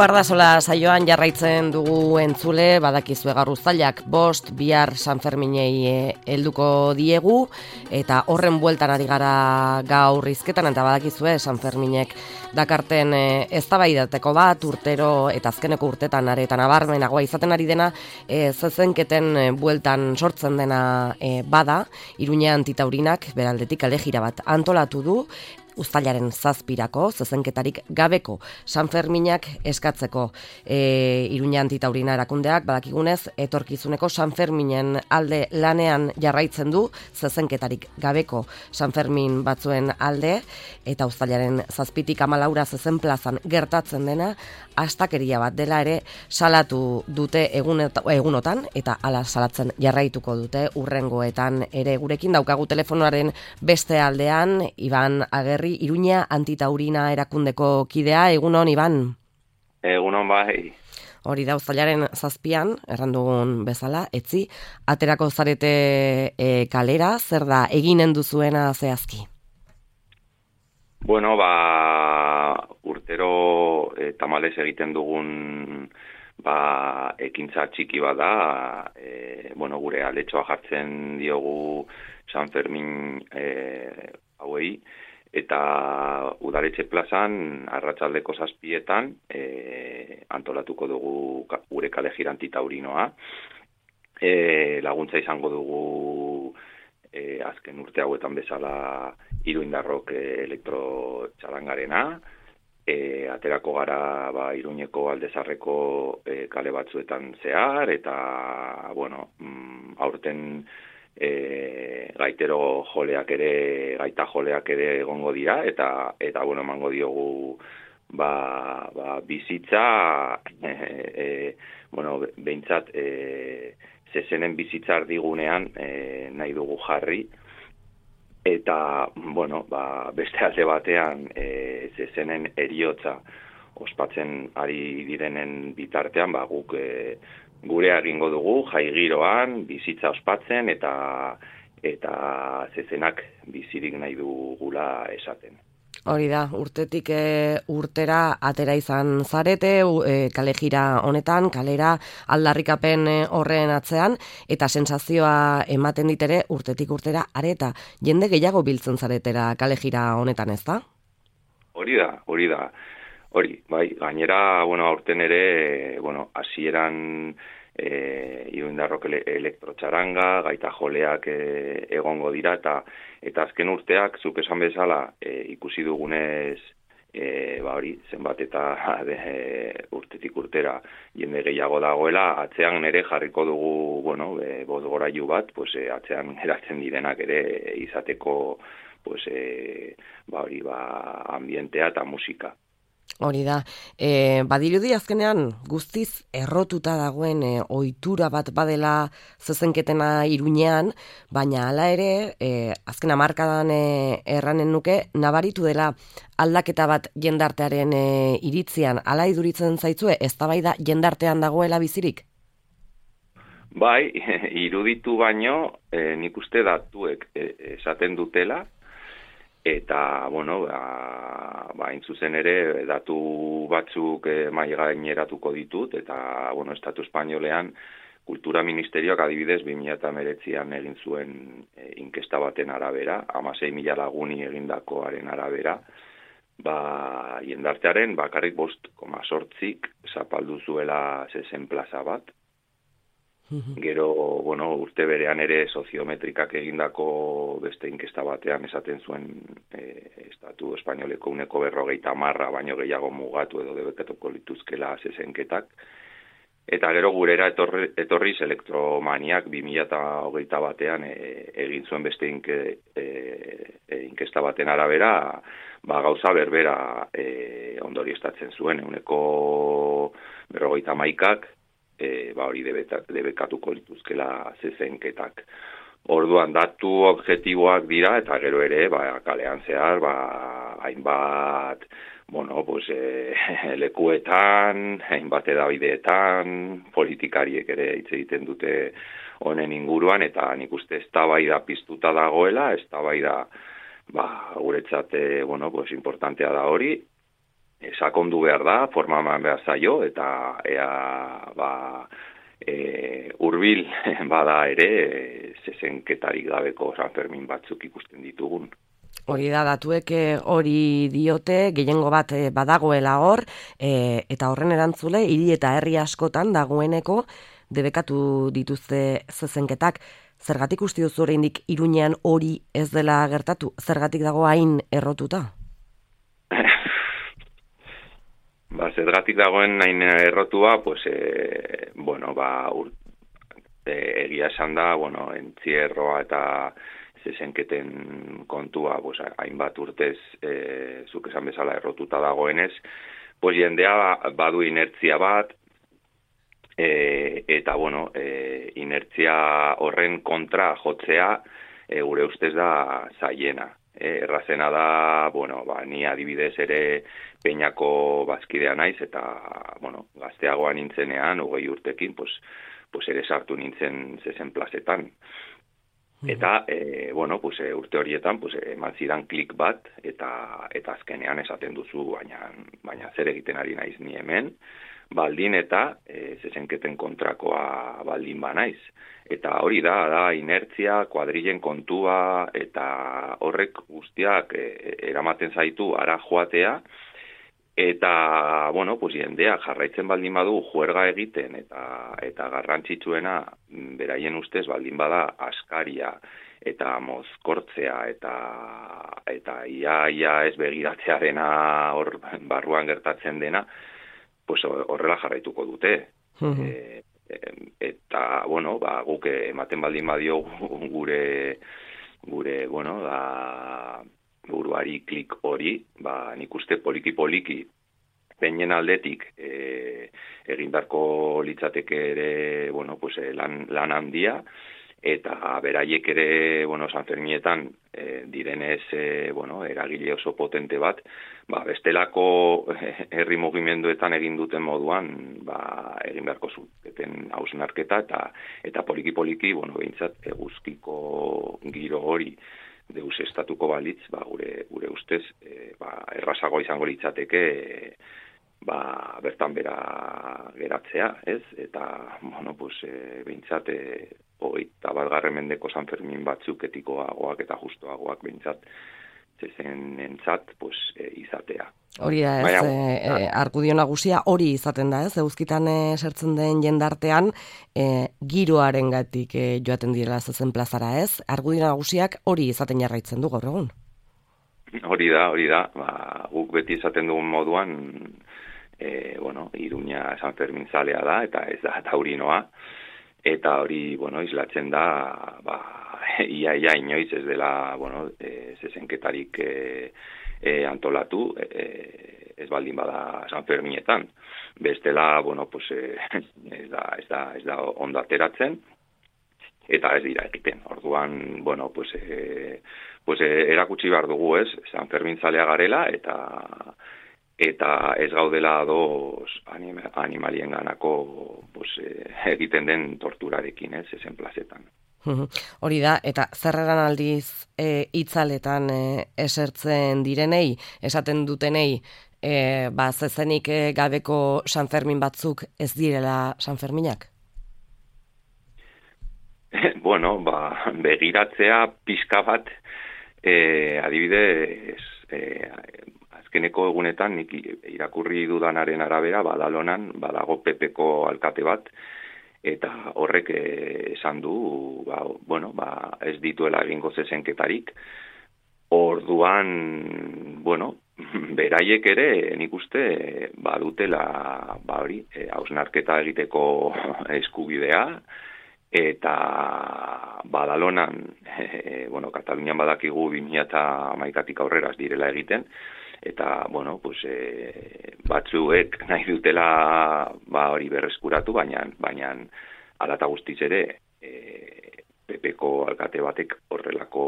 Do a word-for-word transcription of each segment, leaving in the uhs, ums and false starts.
Guardasola saioan jarraitzen dugu entzule, badakizue gaur uztailak bost, bihar San Ferminei helduko diegu, eta horren bueltan ari gara gaur hizketan, eta badakizue San Ferminek dakarten eztabaidateko bat, urtero eta azkeneko urtetan aretan abarmenagoa izaten ari dena, e, zezenketen bueltan sortzen dena e, bada, Iruña Antitaurinak beraldetik kalejira bat antolatu du, uztailaren zazpirako, zezenketarik gabeko San Ferminak eskatzeko. E, Iruña Antitaurina erakundeak, badakigunez, etorkizuneko San Ferminen alde lanean jarraitzen du, zezenketarik gabeko San Fermin batzuen alde, eta uztailaren zazpitik amalaura zezen plazan gertatzen dena, astakeria bat dela ere salatu dute egunotan, eta ala salatzen jarraituko dute urrengoetan ere. Gurekin daukagu telefonoaren beste aldean, Iban Agerri, Iruña Antitaurina erakundeko kidea. Egunon, Iban? Egunon, bai. Hori da, uztailaren zazpian, errandugun bezala, etzi, aterako zarete e, kalera, zer da eginen duzuena zehazki? Bueno, ba, urtero e, tamalez egiten dugun ba, ekintza txiki bada, e, bueno, gure aletxoa jartzen diogu San Fermin e, hauei, eta udaletxe plazan arratsaldeko zazpietan e, antolatuko dugu gure kalejira antitaurinoa. E, laguntza izango dugu e, azken urte hauetan bezala Iruindarrok e, elektrotxalangarena, e, aterako gara ba, Iruñeko Aldezarreko e, kale batzuetan zehar, eta bueno, mm, aurten E, gaitero joleak ere, gaita joleak ere egongo dira, eta eta bueno, emango diogu ba, ba, bizitza, e, e, bueno, behintzat e, zezenen bizitza ardigunean e, nahi dugu jarri, eta bueno, ba, beste alde batean e, zezenen eriotza ospatzen ari direnen bitartean, ba, guk e, gure egingo dugu jai giroan bizitza ospatzen eta eta zezenak bizirik nahi dugula esaten. Hori da, urtetik e, urtera atera izan zarete, e, kalejira honetan, kalera aldarrikapen horren atzean, eta sentsazioa ematen ditere urtetik urtera areta. Jende gehiago biltzen zaretera kalejira honetan, ez da? Hori da, hori da. Hori, bai, gainera, bueno, aurten ere, bueno, hasieran e, Iruindarrok elektrotxaranga, gaita joleak e, egongo dira, eta eta azken urteak, zuk esan bezala, e, ikusi dugunez, e, ba hori, zenbat eta de, e, urtetik urtera jende gehiago dagoela, atzean ere jarriko dugu, bueno, e, bozgorailu bat, pues, e, atzean geratzen direnak ere izateko, pues, e, ba hori, ba, ambientea eta musika. Hori da, e, badirudi azkenean guztiz errotuta dagoen e, ohitura bat badela zezenketena Iruñean, baina hala ere, e, azken hamarkadan e, erranen nuke, nabaritu dela aldaketa bat jendartearen e, iritzian, hala iduritzen zaitzue, eztabaida jendartean dagoela bizirik? Bai, iruditu baino, e, nik uste datuek e, esaten dutela, eta, bueno, ba, ba zuzen ere, datu batzuk eh, mai gaineratuko ditut, eta, bueno, Estatu Espainolean, Kultura Ministerioak adibidez, bi mila hemeretzian egin zuen eh, inkesta baten arabera, hamasei mila laguni egindakoaren arabera, ba, jendartearen bakarrik bost koma zortzik zapaldu zuela zezen plaza bat. Gero, bueno, urte berean ere soziometrikak egindako beste inkesta batean esaten zuen e, Estatu Espainoleko uneko berrogeita marra baino gehiago mugatu edo debekatuko lituzkela zezenketak. Eta gero gurera etorri, etorriz elektromaniak bi mila hogeita batean e, egin zuen beste inke, e, e, inkesta baten arabera, ba, gauza berbera e, ondorioztatzen zuen, uneko berrogeita maikak, E, ba hori debekatuko lituzkela zezenketak. Orduan datu objektiboak dira, eta gero ere, ba, kalean zehar, ba, hainbat, bueno, pues, e, lekuetan, hainbat edabideetan, politikariek ere hitz egiten dute honen inguruan, eta nik uste eztabaida piztuta dagoela, eztabaida, ba, guretzat, bueno, pues, importantea da hori, sakondu behar da, forma eman behar zaio, eta ea, ba, e, urbil bada ere, e, zezenketarik gabeko San Fermin batzuk ikusten ditugun. Hori da, datuek hori diote, gehiengo bat badagoela hor, e, eta horren erantzule, hiri eta herri askotan dagoeneko debekatu dituzte zezenketak. Zergatik uste duzu oraindik Iruñean hori ez dela gertatu? Zergatik dago hain errotuta? Ba, zergatik dagoen hain errotua, pues, e, bueno, ba, ur, e, egia esan da, bueno, entzierroa eta zezenketen kontua, pues, hainbat urtez, e, zuk esan bezala errotuta dagoenez, pues, jendea badu inertzia bat, e, eta, bueno, e, inertzia horren kontra jotzea, e, gure ustez da zaiena. E, errazena da, bueno, ba, ni adibidez ere Peñako bazkidea naiz, eta, bueno, gazteagoa nintzenean, hogei urtekin, pues, pues ere sartu nintzen zezen plazetan. Eta, e, bueno, pues, e, urte horietan, pues, eman zidan klik bat, eta eta azkenean esaten duzu, baina, baina zer egiten ari naiz ni hemen, baldin eta e, zezenketen kontrakoa baldin ba naiz. Eta hori da, da, inertzia, kuadrilen kontua, eta horrek guztiak e, eramaten zaitu ara joatea, eta, bueno, pues, jendea jarraitzen baldin badu juerga egiten, eta eta garrantzitsuena beraien ustez baldin bada askaria, eta mozkortzea, eta eta ia, ia ez begiratzea dena hor barruan gertatzen dena, pues horrela jarraituko dute. Uh-huh. E, eta, bueno, ba, guk ematen baldin badio gure, gure, bueno, da, buruari klik hori, ba, nik uste poliki-poliki peinen aldetik e, egin beharko litzateke ere, bueno, pues, lan, lan handia, eta beraiek ere, bueno, San Ferminetan e, direnez, e, bueno, eragile oso potente bat, ba, bestelako herri mugimenduetan egin duten moduan, ba, egin beharko zuten hausnarketa, eta eta poliki-poliki, bueno, behintzat, eguzkiko giro hori deus estatuko balitz, ba, gure, gure ustez, e, ba, errazago izango litzateke, e, ba, bertan bera geratzea, ez? Eta, bueno, pues, e, behintzat, e, hogeita bat garren mendeko San Fermin batzuk etikoagoak eta justoagoak behintzat, zezenentzat, pues, e, izatea. Hori da, ez, Baina, e, e, argudio nagusia hori izaten da, ez, eguzkitan e, sertzen den jendartean, e, giroaren gatik e, joaten direla zezen plazara, ez? Argudio nagusiak hori izaten jarraitzen du gaur egun. Hori da, hori da, ba, guk beti izaten dugun moduan, e, bueno, Iruña San Fermin zalea da, eta ez da taurinoa, eta hori, bueno, islatzen da, ba, ia, ia inoiz ez dela, bueno, e, zezenketarik e, e, antolatu, e, ez baldin bada San Ferminetan. Bestela, bueno, pues, e, ez da, ez da, ez da ondo ateratzen, eta ez dira egiten. Orduan, bueno, pues, e, pues, e, erakutsi behar dugu, ez, San Fermin zalea garela, eta eta ez gaudela ados anima, animalien ganako, pues, e, egiten den torturarekin, ez, ezen plazetan. Hori da, eta zerreran aldiz e, itzaletan e, esertzen direnei, esaten dutenei, e, ba, zezenik e, gabeko San Fermin batzuk ez direla San Ferminak? Bueno, ba, begiratzea pixka bat, e, adibidez, e, azkeneko egunetan, nik irakurri dudanaren arabera, Badalonan, badago Pepeko alkate bat, eta horrek esan du, ba, bueno, ba, ez dituela egingo zezenketarik. Orduan, bueno, beraiek ere, nik uste, badutela, ba hori, hausnarketa egiteko eskubidea, eta Badalonan, e, bueno, Katalunian badakigu bi mila hamaikatik aurrera ez direla egiten, eta, bueno, pues, e, batzuek nahi dutela, ba, hori berreskuratu, baina, baina alata guztiz ere, e, Pepeko alkate batek horrelako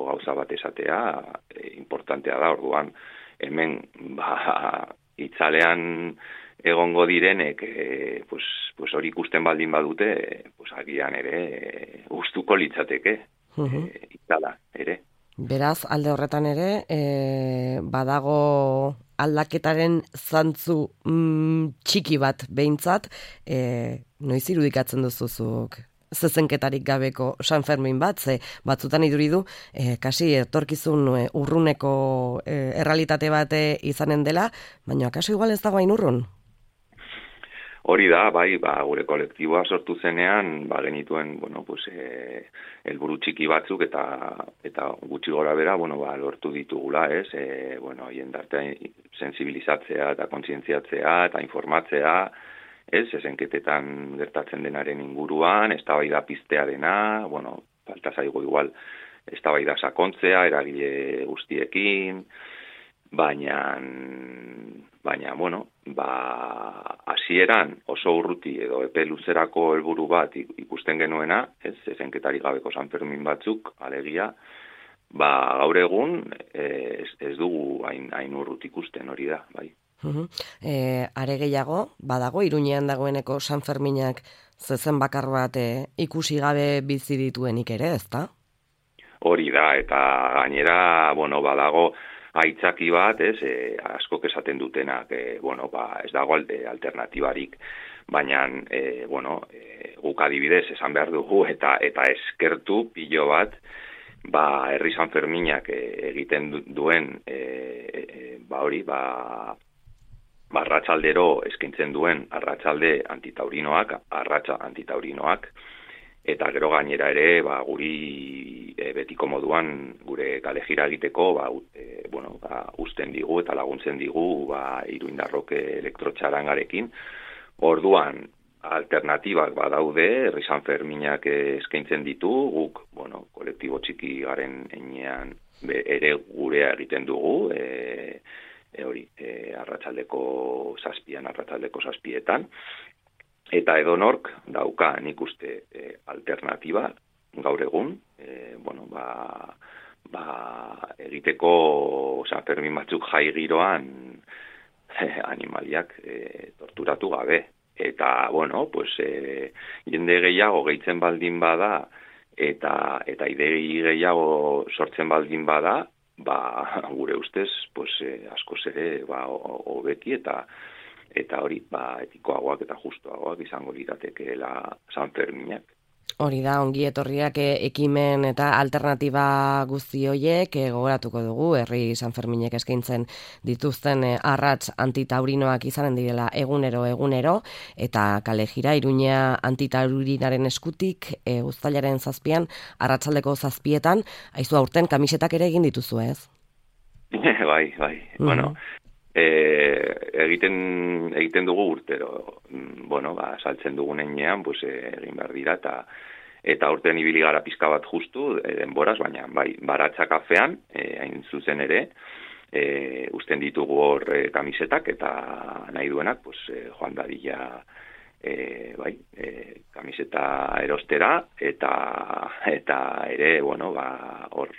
gauza bat esatea, e, importantea da, orduan, hemen, ba, itzalean egongo direnek, e, pues, pues hori ikusten baldin badute, pues, agian ere, e, gustuko litzateke, uh-huh. e, itzala, ere. Beraz, alde horretan ere, e, badago aldaketaren zantzu mm, txiki bat behintzat, e, noiz irudikatzen duzuzuk zezenketarik gabeko San Fermin bat, ze batzutan iduridu, e, kasi etorkizun e, urruneko e, errealitate bat izanen dela, baina kaso igual ez dago hain urrun. Hori da, bai, ba, gure kolektiboa sortu zenean, ba, genituen, bueno, pues, e, helburu txiki batzuk eta eta gutxi gora bera, bueno, ba, lortu ditugula, ez, e, bueno, jendartea sensibilizatzea eta kontzientziatzea eta informatzea, ez, zezenketetan gertatzen denaren inguruan, eztabaida piztearena, bueno, falta zaigu igual, eztabaida sakontzea, eragile guztiekin, baina, baina, bueno, ba, hasieran oso urruti edo epe luzerako helburu bat ikusten genuena, ez, zezenketarik gabeko San Fermin batzuk, alegia, ba, gaur egun ez, ez dugu hain, hain urrut ikusten hori da, bai. Uhum. E, are gehiago, badago, Iruñean dagoeneko San Ferminak zezen bakar bat e, ikusi gabe bizi dituenik ere, ezta? Hori da, eta gainera, bueno, badago aitzaki bat, ez, e, askok esaten dutenak, e, bueno, ba, ez dago alde alternatibarik, baina, e, bueno, e, guk adibidez esan behar dugu, eta eta eskertu pilo bat, ba, herri San Ferminak e, egiten duen, e, e, ba, hori, ba, arratsaldero eskaintzen duen arratsalde antitaurinoak, arratsa antitaurinoak, eta gero gainera ere, ba, guri e, betiko moduan gure kalejira egiteko, ba, e, bueno, ba, usten digu eta laguntzen digu, ba, Iruindarrok elektrotxarangarekin. Orduan, alternatibak badaude, herri San Ferminak eskaintzen ditu, guk, bueno, kolektibo txiki garen enean ere gurea egiten dugu, e, E hori, e, arratsaldeko zazpian, arratsaldeko zazpietan, eta edonork dauka nik uste e, alternatiba gaur egun, e, bueno, ba, ba, egiteko San Fermin batzuk jai giroan e, animaliak e, torturatu gabe. Eta, bueno, pues, e, jende gehiago gehitzen baldin bada, eta, eta idei gehiago sortzen baldin bada, ba, gure ustez, pues, eh, askoz ere, ba, hobeki eta eta hori, ba, etikoagoak eta justuagoak izango liratekeela San Ferminak. Hori da, ongi etorriak ekimen eta alternatiba guzti hoiek e, gogoratuko dugu, herri San Ferminek eskaintzen dituzten e, arrats antitaurinoak izanen direla egunero egunero, eta kalejira Iruña antitaurinaren eskutik e, uztailaren zazpian, arratsaldeko zazpietan, aizu aurten kamisetak ere egin dituzu, ez? bai, bai, mm-hmm. Bueno, e, egiten egiten dugu urtero, bueno, ba, saltzen dugun enean, pues, egin behar dira, eta eta urtean ibili gara pizka bat justu, e, denboraz, baina bai, baratza kafean, e, hain zuzen ere, e, usten ditugu hor e, kamisetak, eta nahi duenak, pues, e, joan dadila, e, bai, e, kamiseta erostera, eta eta ere, bueno, ba, hor,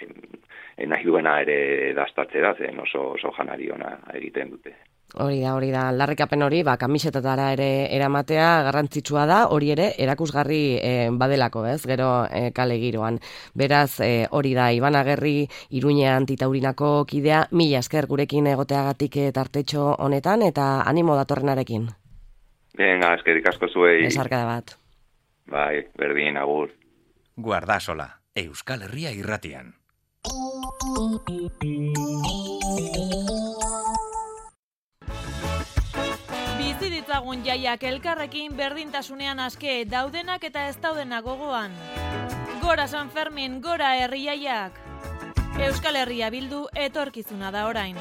e, nahi duena ere dastatzera, zen oso, oso janari ona egiten dute. Hori da, hori da, aldarrikapen hori, ba, kamisetatara ere eramatea garrantzitsua da, hori ere erakusgarri e, badelako, ez, gero e, kale giroan. Beraz, e, hori da, Iban Agerri Iruña antitaurinako kidea, mila esker gurekin egoteagatik tartetxo honetan, eta animo datorrenarekin. Venga, eskerik asko zuei. Esarkada bat. Bai, berdin, agur. Guardasola, Euskal Herria irratian. Bizi ditzagun jaiak elkarrekin berdintasunean aske, daudenak eta ez daudenak gogoan. Gora San Fermin, gora herri jaiak. Euskal Herria bildu etorkizuna da orain.